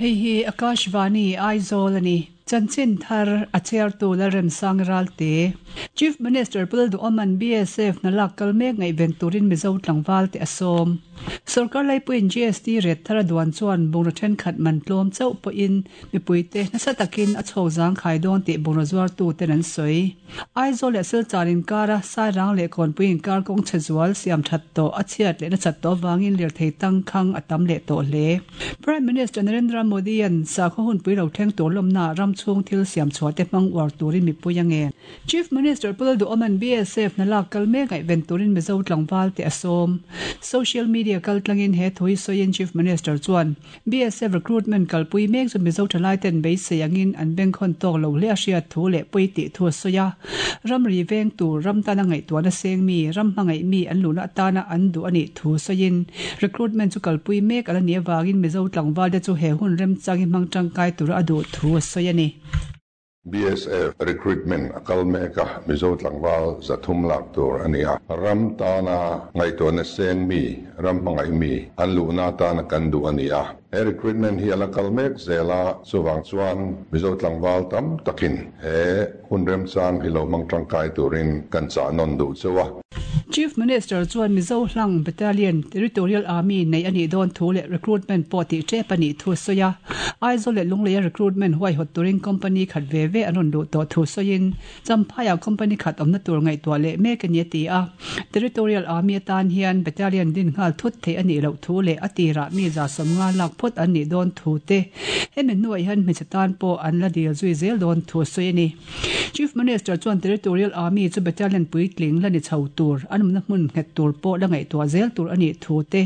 Hei hi Akashvani Aizawl a ni. Chanchin thar a chhiartu Lalremsang Ralte. Chief Minister Pu Lalduhawma'n BSF hna lak kal mek ngaihven turin Mizo tlangval te a sawm. Sorkar laipuiin GST ret thar a duan chuan bungraw thenkhat man tlawm chauh pawhin mipuite nasa takin a chhawk zangkhai dawn tih bungraw zuartuten an sawi. Aizawl leh Silchar inkara Sairang leh Kawnpui inkar kawng chhe zual siam that tawh a chhiat leh nasat tawh avangin lirthei tangkhang a tam leh tawh hle. Prime Minister Narendra Modi-a'n sakhaw hunpui lo thleng tur lawmnaah ram chhung thil siam chhuah te hmang uar turin mipui a ngen. Chief Minister Pu Lalduhawma'n BSF hna lak kal mek ngaihven turin Mizo tlangval te a sawm. Social media kaltlangin he thu hi sawiin Chief Minister chuan, BSF recruitment kalpui mek chu Mizo thalai ten beisei angin an bengkhawn tawk lo hle a hriat thu leh pawi tih thu a sawi a. Ramri veng tur, ram tana ngaihtuahna seng mi, ram hmangaih mi an luhna atana an duh a nih thu sawiin recruitment chu kalpui mek a la nih avangin Mizo tlangval te chu he hun remchang hi hmang tangkai tura a duh thu a sawi a ni. BSF recruitment a kal mek a, Mizo tlangval 300 lak tur a ni a. Ram tana ngaihtuahna seng mi, ram hmangaih mi an luhna atana kan duh a ni a. He recruitment hi a la kal mek zel a, chuvang chuan Mizo tlangval tam takin he hun remchang hi lo hmang tangkai turin kan chah nawn duh cheu a. Chief Minister chuan Mizo hlang Battalion, Territorial Army, nei a nih dawn thu leh recruitment pawh tih tep a nih thu a sawi a. Aizawl leh Lungleia recruitment huaihawt turin company khat ve ve an rawn luh tawh thu sawiin Champhaiah company khat awmna tur ngaihtuah leh mek a ni a ti a. Territorial Army atan hian Battalion din nghal thut theih a nih loh thu leh a tirah mi 150 lak phawt an nih dawn thu te hemi hnuah hian hmeichhe tan pawh an la dil zui zel dawn thu a sawi a ni. Chief Minister chuan Territorial Army chu Battalion puitling la ni chho tur, an awmna hmun nghet tur pawh la ngaihtuah zel tur a nih thu te,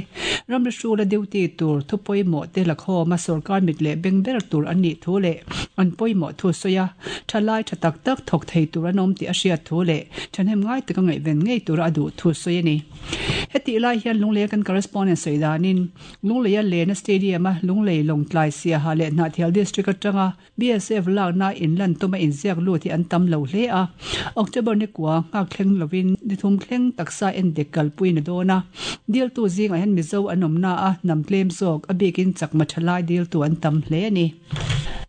ramri hrula duty tur thu pawimawh te la khawma sorkar mit leh beng ber tur an nih thu leh an pawimawh thu sawi a, thalai tha tak tak thawk thei tur an awm tih a hriat thu leh thahnem ngai taka ngaihven ngei tura a duh thu sawi a ni. Hetih lai hian Lungleia kan correspondent sawi danin Lungleia Lena Stadium-a Lunglei Lawngtlai Siaha leh Hnahthial District atanga BSF lakna inlan tuma inziak lut hi an tam lo hle a, October ni kua nghak thleng lovin ni thum thleng taksa endik kalpui na dawn a. Diltu zingah hian Mizo an awm na a, hnam tlem zawk, a bikin chakma thalai diltu an tam hle a ni.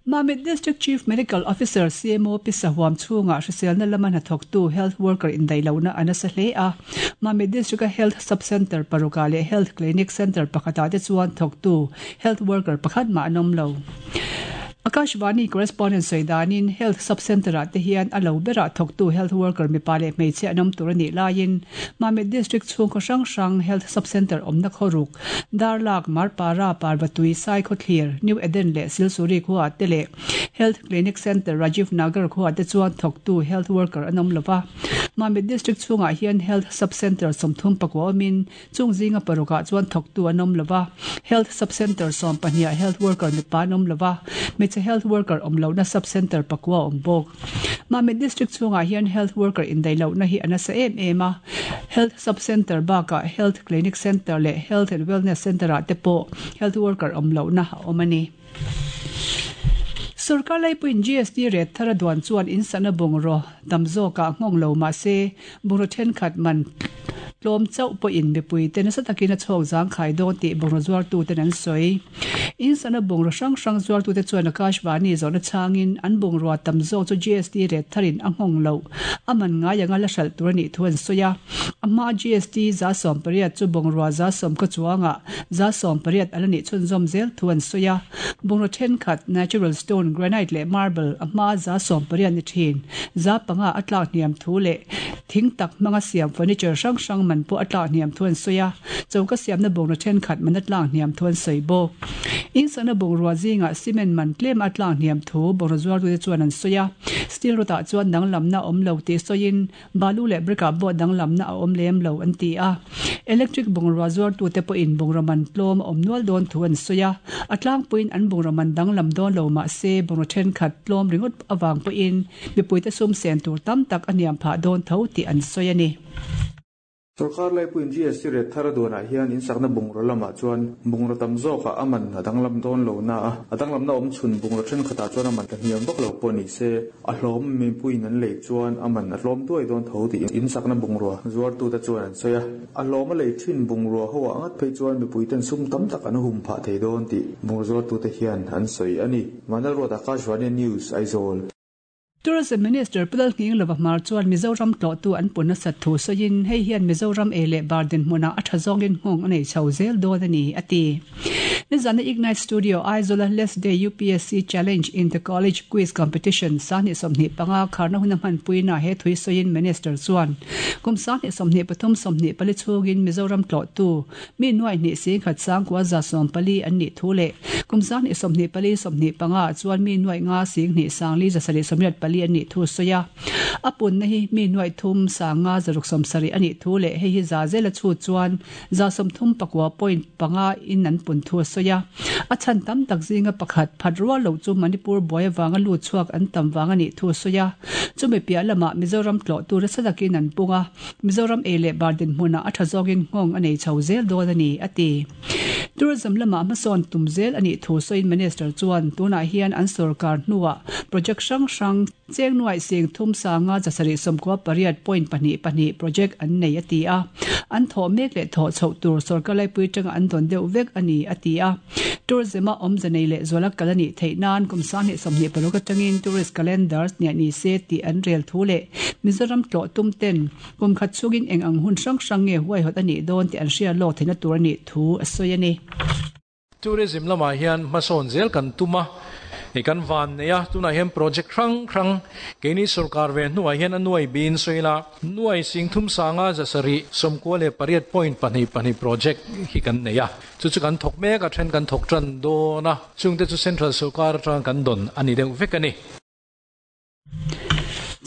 Mamit District Chief Medical Officer, CMO, Pi Sahuam chhungah hriselna lama hnathawktu health worker indaih lohna a nasa hle a. Mamit District-a Health Sub-Centre parukah leh Health Clinic Centre pakhatah te chuan thawktu health worker pakhat mah an awm lo. Akashvani correspondent sawi danin Health Sub-Centre ah te hian a lo berah thawktu health worker mipa leh hmeichhia an awm tur a nih laiin Mamit District chhungkaw hrang hrang Health Sub-Centre awmna khawruk, Darlak, Marpara, Parvatui, Saikhawthlir, New Eden leh Silsuri khuaah te leh Health Clinic Centre Rajiv Nagar khuaah te chuan thawktu health worker an awm lova. Mamit District chhungah hian Health Sub-Centre 34 awmin Chung zinga parukah chuan thawktu an awm lo va, Health Sub-Centre 12 ah Health Worker mipa an awm lo va, hmeichhe Health Worker awm lohna Sub-Centre pakua a awm bawk. Mamit District chhungah hian Health Worker indaih lohna hi a nasa em em a, Health Sub-Centre bakah Health Clinic Centre leh Health and Wellness Centre ah te pawh Health Worker awm lohna a awm a ni. Sorkar laipuiin GST ret thar a duan chuan in sahna bungraw tam zawkah nghawng lo mah se, bungraw thenkhat man tlawm chauh pawhin mipuite nasa takin a chhawk zangkhai dawn tih bungraw zuartuten an sawi. In sahna bungraw hrang hrang zuartute chuan Akashvani zawhna chhangin an bungrua tam zawk chu GST ret tharin a nghawng loh a man ngai anga la hralh tur a nih thu an sawi a. A hma GST 80% chu bungrua 10% ka chuangah 80% a la nih chhunzawm zel thu an sawi a. Bungraw thenkhat, natural stone, granite leh marble, a hma 80% ni thin. 5% a tlak hniam thu leh thing tak hmanga siam furniture hrang hrang man pawh a tlak hniam thu an sawi a. Choka siamna bungraw thenkhat man a tlak hniam thu an sawi bawk. Insakna bungrua zingah cement man tlem a tlak hniam thu bungraw zuartute chuan an sawi a. Steel rod ah chuan danglamna a awm lo tih sawiin Balu leh brick ah pawh danglamna a awm lem lo an ti a. Electric bungrua zuartute pawhin bungraw man tlawm a awm nual dawn thu an sawi a. A tlangpuiin an bungraw man danglam dawn lo mah se bungraw thenkhat tlawm ringawt avang pawhin mipuite sum sen tur tam tak a hniam phah dawn tho tih an sawi a ni. Sorkar laipuiin GST rate thar a duanah hian insakna bungraw lamah chuan bungraw tam zawkah a man a danglam dawn lo na a, a danglamna awm chhun bungraw thenkhatah chuan a man tla hniam vak lo pawh ni se, a hlawm mipuiin an lei chuan a man a tlawm duai dawn tho tih insakna bungrua zuartute chuan an sawi a. A hlawm a lei thin bungrua ho ah ngat phei chuan mipuiten sum tam tak an hum phah thei dawn tih bungraw zuartute hian an sawi a ni. Vanlalruat Akashvani News, Aizawl. Tourism Minister Pu Lalnghinglova Hmar chuan Mizoram tlawhtu an pun nasat thu sawiin hei hian Mizoram ei leh bar dinhmunah a tha zawngin nghawng a nei chho zel dawn a ni, a ti. Nizana Ignite Studio Aizawla Less Day UPSC Challenge in the College Quiz Competition 2025 kharna huna hmanpuina he thui sawiin Minister chuan kum 2023 24 chhungin Mizoram tlawhtu Mi nuai hnih singkhat sangkua 140 an nih thu leh kum 2024 25 ah chuan mi nuai nga sing hnih sangli 784 an nih thu a sawi a. A punna hi mi nuai thum sanga 670 a nih thu leh hei hi za zela chhut chuan 39 point panga in an pun thu a sawi a. A chhan tam tak zinga pakhat phat rual lo chu Manipur buai avanga lut chhuak an tam vang a nih thu a sawi a. Chumi piah lamah Mizoram tlawhtu nasa takin an pung a. Mizoram ei leh bar dinhmunah a tha zawngin nghawng a nei chho zel dawn a ni, a ti. Tourism lamah hmasawn tum zel a nih thu sawiin Minister chuan tunah hian an sorkar hnuah project hrang hrang cheng nuaih sing thum sanga 798 point pahnih pahnih project an nei a ti a, an thawh mek leh thawh chhoh tur sorkar laipui tanga an dawn deuh vek a ni, a ti a. Tourism-a awmze nei leh zuala kal a nih theih nan kum 2026 atangin tourist calendars niah ni se tih an rel thu leh Mizoram tlawh tum ten kum khat chungin eng ang hun hrang hrang nge huaihawt a nih dawn tih an hria lawk theihna tur a nih thu a sawi a ni. Tourism lamah hian hmasawn zel kan tum a, kan van nei a, tunah hian project hrang hrang keini sorkar ve hnuah hian a nuai biin sawi ila, nuai sing thum sanga 798 point pahnih pahnih project hi kan nei a. Chu chu kan thawk mek a, then kan thawk tan dawn a, chungte chu Central sorkar atanga kan dawn a ni deuh vek a ni.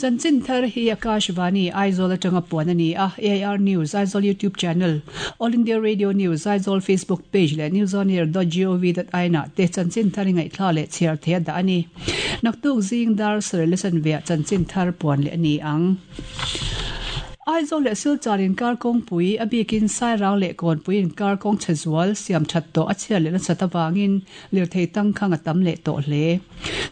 Chanchin thar hi Akashvani, Aizawl atanga puan a ni a, AIR News, Aizawl YouTube channel, All India Radio News, Aizawl Facebook page leh newsonair dot gov dot in ah te chanchin thar i ngaihthla leh chhiar thei a dah a ni. Naktuk zing dar sarih lesson veah chanchin thar puan leh a ni ang. Aizawl leh Silchar inkar kawngpui, a bikin Sairang leh Kawnpui inkar kawng chhe zual siam that tawh a chhiat leh nasat avangin lirthei tangkhang a tam leh tawh hle.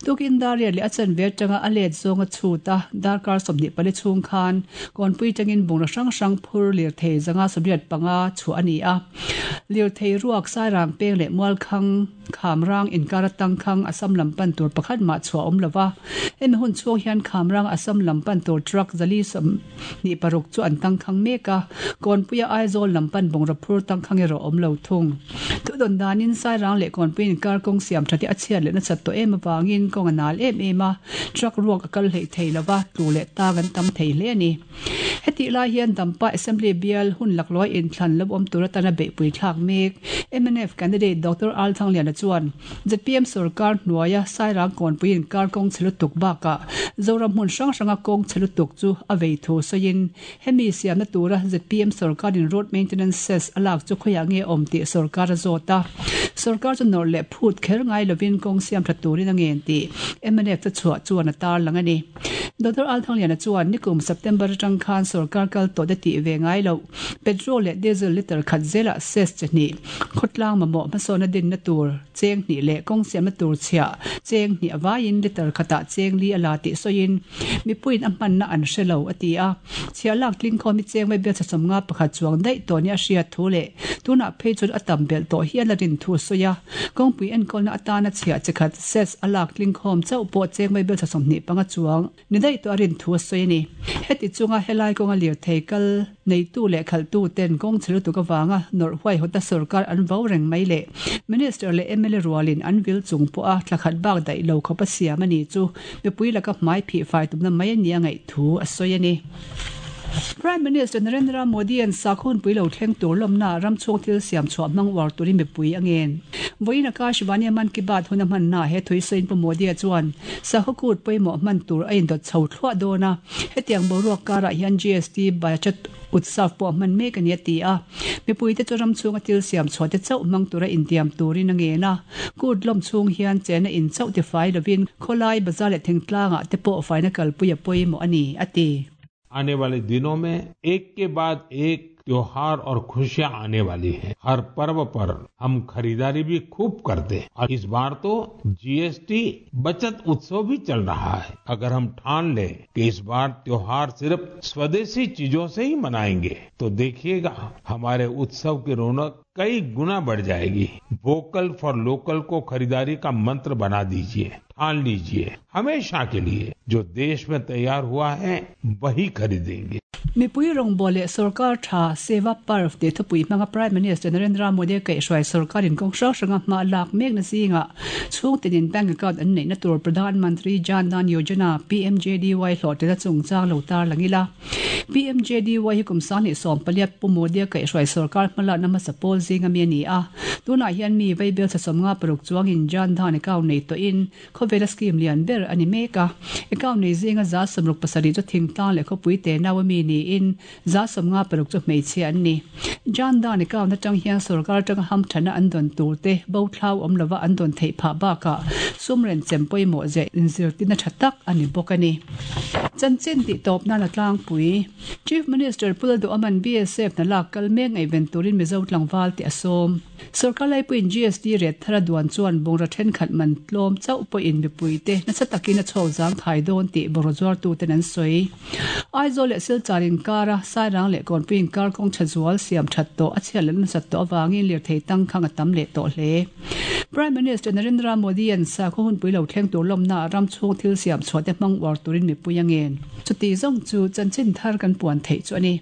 Tukin Dariat leh a chanve atanga a let zawng a chhut a, darkar 24 chhung khan Kawnpui tangin bungraw hrang hrang phur lirthei 175 chhuah a ni a. Lirthei ruak Sairang peng leh Mualkhang, Khamrang inkar atang khang Assam lam pan tur pakhat mah chhuah awm lova, hemi hun chhung hian Khamrang Assam lam pan tur truck 426 chu an tangkhang mek a, Kawnpuia Aizawl lam pan bungraw phur tangkhang erawh awm lo thung. Thudawn danin Sairang leh Kawnpui inkar kawng siam tha te a chhiat leh nasat tawh em avangin kawng a nal em em a, truck ruak a kal hleih thei lova, tlu leh tang an tam thei hle a ni. Hetih lai hian Dampa Assembly bial hun laklawih inthlan lo awm tur atana beihpui thlak mek mnf candidate Doctor Al Thangliana chuan zpm sorkar hnuaia Sairang kawnpui inkar kawng chhe lutuk bakah Zoram hmun hrang hranga kawng chhe lutuk chu a vei thu sawiin hemi siamna tura zpm sorkarin road maintenance cess a lak chu khawiah nge awm tih sorkar a zawt a. Sorkar chu nawrh leh phut kher ngai lovin kawng siam tha turin a ngen tih mnf te chhuah chuan a tarlang a ni. Doctor Althangliana chuan nikum September atang khan sorkar kal tawh te tih ve ngai loh petrol leh diesel litre khat zelah cess chi hnih, khawtlang mamawh hmasawnna dinna tur cheng hnih leh kawng siamna tur chhiah cheng hnih avaiin litre khatah cheng li a la tih sawiin mipuiin a hmanna an hre lo a ti a. Chhiah lak tling khawm hi cheng mai bialchha sawmnga pakhat chuang daih tawh nia a hriat thu leh tunah phei chuan a tam belh tawh hial a rin thu a sawi a. Kawngpui enkawlna atana chhiah chi khat cess a lak tling khawm chauh pawh cheng mai belchha 25 chuang ni daih tawh a rin thu a sawi a ni. Heti chunga helai kawnga lirthei kal neitu leh khalhtu ten kawng chhe lutuk avanga nawrh huaihawta sorkar an vo reng mai leh Minister leh mla rualin an vil chung pawha thla khat bak daih lo khawpa siam a ni chu mipui laka hmai phih fai tumna mai a nia ngaih thu a sawi a ni. Prime Minister Narendra Modi-a'n sakhunpui lo thleng tur lawmna ram chhung thil siam chhuah hmang uar turin mipui a ngen. Vawiin Akashvani-a Mann Ki Baat hun a hmanna he thui sawiin Pu Modi-a chuan sakhaw kut pawimawh hman tur a indawt chho thluah dawn a, hetiang boruak karah hian GST Bachat Utsav pawh hman mek a ni a ti a. Mipuite chu ram chhunga thil siam chhuah te chauh hmang tura intiam turin a ngen a, kut lawm chhung hian chena in chauh tifai lovin khawlai bazar leh thingtlangah te pawh faina kalpui a pawimawh a ni, a ti. आने वाले दिनों में एक के बाद एक त्योहार और खुशियां आने वाली हैं। हर पर्व पर हम खरीदारी भी खूब करते हैं और इस बार तो जीएसटी बचत उत्सव भी चल रहा है। अगर हम ठान लें कि इस बार त्योहार सिर्फ स्वदेशी चीजों से ही मनाएंगे तो देखिएगा हमारे उत्सव की रौनक कई गुना बढ़ जाएगी। Vocal for local को खरीदारी का मंत्र बना दीजिए, ठान लीजिए हमेशा के लिए जो देश में तैयार हुआ है वही खरीदेंगे। Mipui rawngbawl leh sorkar tha Seva Parv tih thupui hmanga Prime Minister Narendra Modi kaihhruai sorkarin kawng hrang hranga hma lak mekna zingah chhungtinin bank account an neihna tur Pradhan Mantri Jan Dhan Yojana, PMJDY, hlawhtlinna chungchang lo tar lang ila. PMJDY hi kum 2018 Pu Modi-a kaihhruai sorkar hmalakna hmasa pawl zinga mi a ni a. Tunah hian mi vaibel thla 56 chuangin Jan Dhan account nei tawhin khawvela scheme lian ber a ni mek a. Account nei zinga 67% chu thingtlang leh khawpui te nau a mi niin 56% chu hmeichhia an ni. Jan Dhan account atang hian sorkar atanga hamthana an dawn tur te bo thlau awm lova an dawn theih phah bakah sum renchem pawimawh zeh inzirtirna tha tak a ni bawk a ni. Chanchin tih tawp nan a tlangpui. Chief Minister Pu Lalduhaman BSF hna lak kal mek ngaihven turin Mizo tlangval tih a sawm. Sorkar laipuiin GST ret thar a duan chuan bungraw thenkhat man tlawm chauh pawhin mipuite nasa takin a chhawk zang thai dawn tih bungraw zuartuten an sawi. Aizawl leh Silchar inkara Sairang leh Kawnpui inkar kawng tha zual siam that tawh a chhiat leh nasat tawh avangin lirthei tangkhang a tam leh tawh hle. Prime Minister Narendra Modi-a'n sakhaw hunpui lo thleng tur lawmnaah ram chhung thil siam chhuah te hmang uar turin mipui a ngen. Chuti zawng chu chanchin thar kan puan theih chu a ni.